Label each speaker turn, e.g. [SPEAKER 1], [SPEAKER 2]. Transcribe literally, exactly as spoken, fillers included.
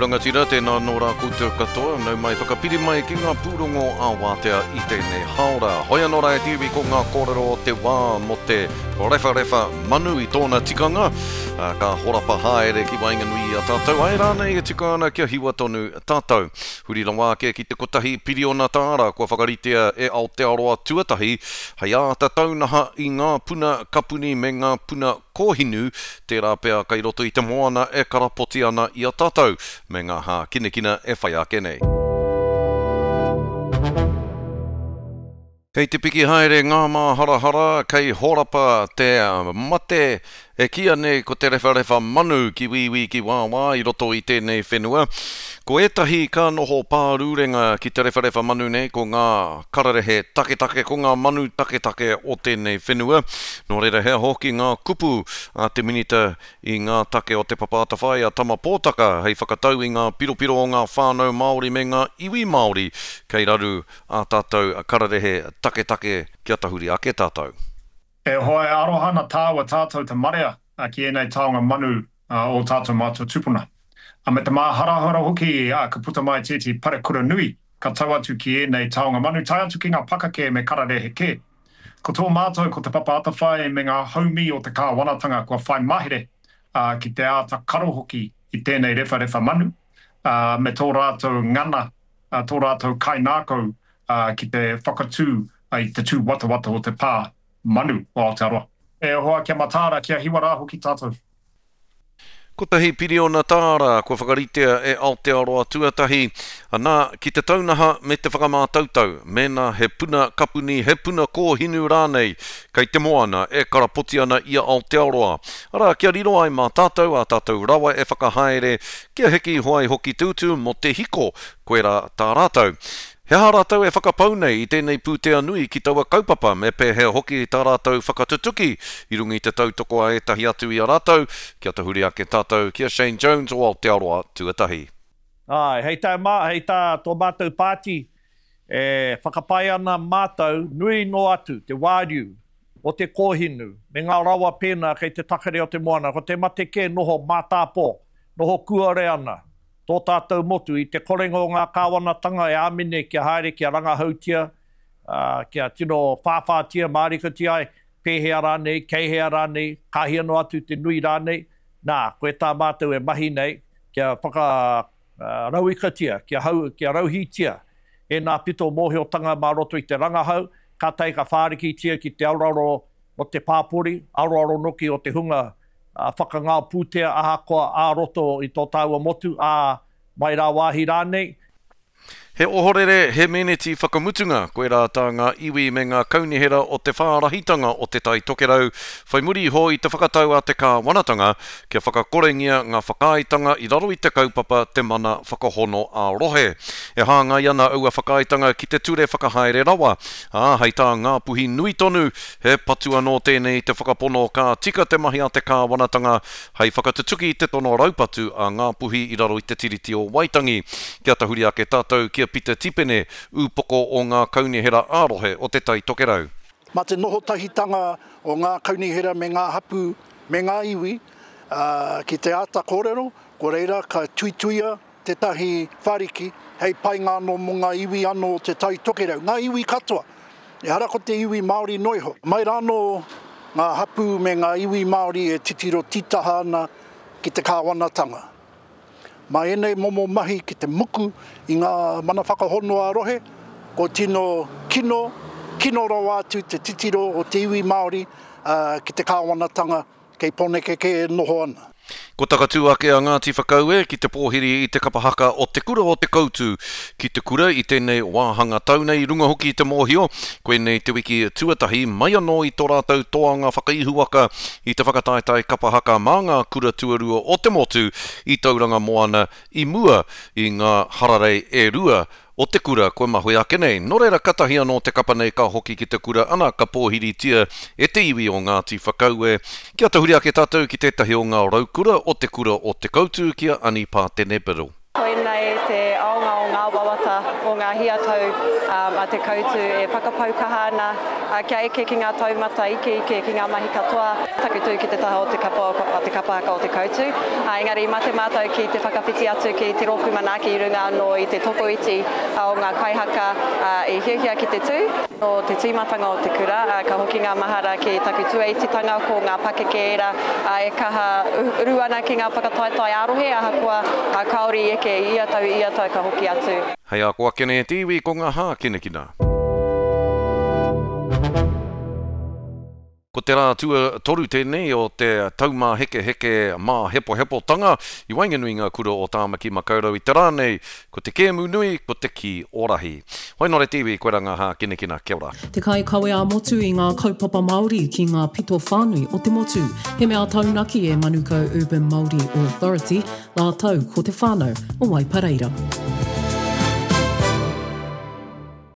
[SPEAKER 1] rangatira, tēnā nō rā koutou katoa, nau mai whakapiri mai ki ngā pūrongo a wātea i tēnei haora. Hoi anō rā e te iwi ko ngā kōrero o te wā mō te rewharewha manu i tōna tikanga, ka horapa haere ki waenganui i a tātou, ai rānei e tika ana kia hiwa tonu tātou. Huri rawa ake ki te kotahi piriona tāra kua whakaritea e Aotearoa tuatahi, hei āta taunaha i ngā puna kapuni me ngā puna kōhinu, tērā pea kai roto i te moana e karapoti ana i a tātou, me ngā hākinakina e whai ake nei. Kei te piki haere ngā māharahara, kei horapa te mate e kīia nei ko te rewharewha manu ki wīwī ki wāwā i roto i tēnei whenua. Ko ētahi ka noho pārūrenga ki te rewharewha manu nei, ko ngā kararehe taketake, ko ngā manu taketake o tēnei whenua. Nō reira hea hoki ngā kupu a te minita i ngā take o te Papa Atawhai a Tama Pōtaka hei whakatau i ngā piropiro o ngā whānau Māori me ngā iwi Māori kei raru a tātou kararehe taketake kia tahuri ake tātou.
[SPEAKER 2] E hoa e aroha ana tāua tātou te marea ki ēnei taonga manu o tātou mātua tupuna. A me te māharahara hoki ka puta mai tētehi parekura nui ka tau atu ki ēnei taonga manu tae atu ki ngā pakake me kararehe kē. Ko tō mātou ko Te Papa Atawhai me ngā haumi o te kāwanatanga kua whai mahere ki te āta karo hoki i tēnei rewharewha manu me tō rātou ngana, tō rātou kaingākau ki te whakatū i te tūwatawata o te pā manu o Aotearoa. E hoa kia mataara, kia hiwa rā hoki tātou.
[SPEAKER 1] Kotahi piriona tāra kua whakaritea e Aotearoa tuatahi, anā, ki te taunaha me te whakamātautau, mēnā he puna kapuni, he puna kōhinu rānei, kei te moana e karapoti ana i a Aotearoa. Arā, kia riro ai mā tātou ā tātou rawa e whakahaere, kia heke iho ai hoki te utu mō te hiko, koirā tā rātou. He aha rātou e whakapau nei i tēnei pūtea nui ki taua kaupapa, me pēhea hoki tā rātou whakatutuki i runga i te tautoko a ētahi atu i a rātou, kia tahuri ake tātou ki a Shane Jones o Aotearoa tuatahi.
[SPEAKER 3] Āe, hei tā mā, hei tā tō mātou pāti, e whakapae ana mātou nui noa atu te wāriu o te kōhinu me ngā rawa pēnā kei te takere o te moana, ko te mate kē noho mātāpō, noho kuare ana tō tātou motu i te korenga o ngā kāwanatanga e āmine kia haere kia rangahautia, ā, kia tino whāwhātia mārikatia ai, pēhea rānei, kei hea rānei, ka hia noa atu te nui rānei, nā, koe tā mātou e mahi nei, kia whakarauikatia, kia hau, kia rauhītia ēnā pito mōhiotanga mā roto i te rangahau, kātahi ka whārikitia ki te aroaro o te pāpori, aroaro noki o te hunga whakangao pūtea ahakoa ā-roto i tō tāua motu, ā, mai rāwāhi rānei.
[SPEAKER 1] He ohorere, he meneti whakamutunga, koirā tā ngā iwi me ngā kaunihera o te whārahitanga o Te Tai Tokerau whai muri iho i te whakatau a te kāwanatanga kia whakakorengia ngā whakaaetanga i raro i te kaupapa Te Mana Whakahono ā-Rohe. E hāngai ana aua whakaaetanga ki te ture whakahaere rawa, ā, hei tā Ngāpuhi nui tonu, he patu anō tēnei i te whakapono ka tika te mahi a te kāwanatanga hei whakatutuki i te tono raupatu a Ngāpuhi i raro i te Tiriti o Waitangi. Kia tahuri ake tātou ki a Pita Tipene, ūpoko o ngā kaunihera ā-rohe o Te Tai Tokerau.
[SPEAKER 4] Mā te noho tahitanga o ngā kaunihera me ngā hapū me ngā iwi ki te āta kōrero, ko reira ka tuituia tētahi whariki hei painga anō mō ngā iwi anō o Te Tai Tokerau, ngā iwi katoa, ehara ko te iwi Māori noa iho. Mai rānō ngā hapū me ngā iwi Māori e titiro tītaha ana ki te kāwanatanga. Mā ēnei momo mahi ki te muku i ngā mana whakahono ā-rohe, ko tino kino, kino rawa atu te titiro o te iwi Māori ki te kāwanatanga kei Pōneke kē e noho ana.
[SPEAKER 1] Ko takatū ake a Ngāti Whakaue ki te pōhiri i te kapa haka o Te Kura o Te Koutu ki te kura i tēnei wāhanga tau nei i runga hoki i te mōhio, koinei te wiki tuatahi mai anō i tō rātou toanga whakaihuwaka i te whakataetae kapa haka mā ngā kura tuarua o te motu i Tauranga Moana i mua i ngā hararei e rua o te kura kua mahue ake nei. Nō reira katahi anō te kapa nei ka hoki ki te kura ana ka pōhiritia e te iwi o Ngāti Whakaue. Kia tahuri ake tātou ki tētahi o ngā raukura o te kura o Te Koutu ki a Ani Pātene Biddle.
[SPEAKER 5] Koinei te aonga o ngā wawata o ngā hiatau um, a Te Koutu e whakapau kaha ana kia eke ki ngā taumata ikeike ki ngā mahi katoa. Taku tū ki te taha o te kapa o te kapa haka o Te Koutu. Engari i mate mātou ki te whakawhiti atu ki te rōpū manaaki i runga anō i te tokoiti o ngā kaihaka i hiahia ki te tū. Nō te tīmatanga o te kura, ka hoki ngā mahara ki taku tuaititanga ko ngā pakeke ērā e kaha uru ana ki ngā whakataetae ā-rohe ahakoa kāore i eke i ia tau, i ia tau ka hoki atu.
[SPEAKER 1] Hei a ko ake nei te iwi ko ngā hākinakina. Ko te rā tuatoru tēnei o te taumāhekeheke māhepohepotanga i waenganui i ngā kura o Tāmaki Makaurau i te rā nei, ko te kēmu nui, ko te kī o rahi. Hoi nō re te iwi, koirā ngā hākinakina, kia ora.
[SPEAKER 6] Te kaikawe ā-motu i ngā kaupapa Māori ki ngā pito whānui o te motu. He mea taunaki e Manukau Urban Māori Authority rātou ko te whānau o Waipareira.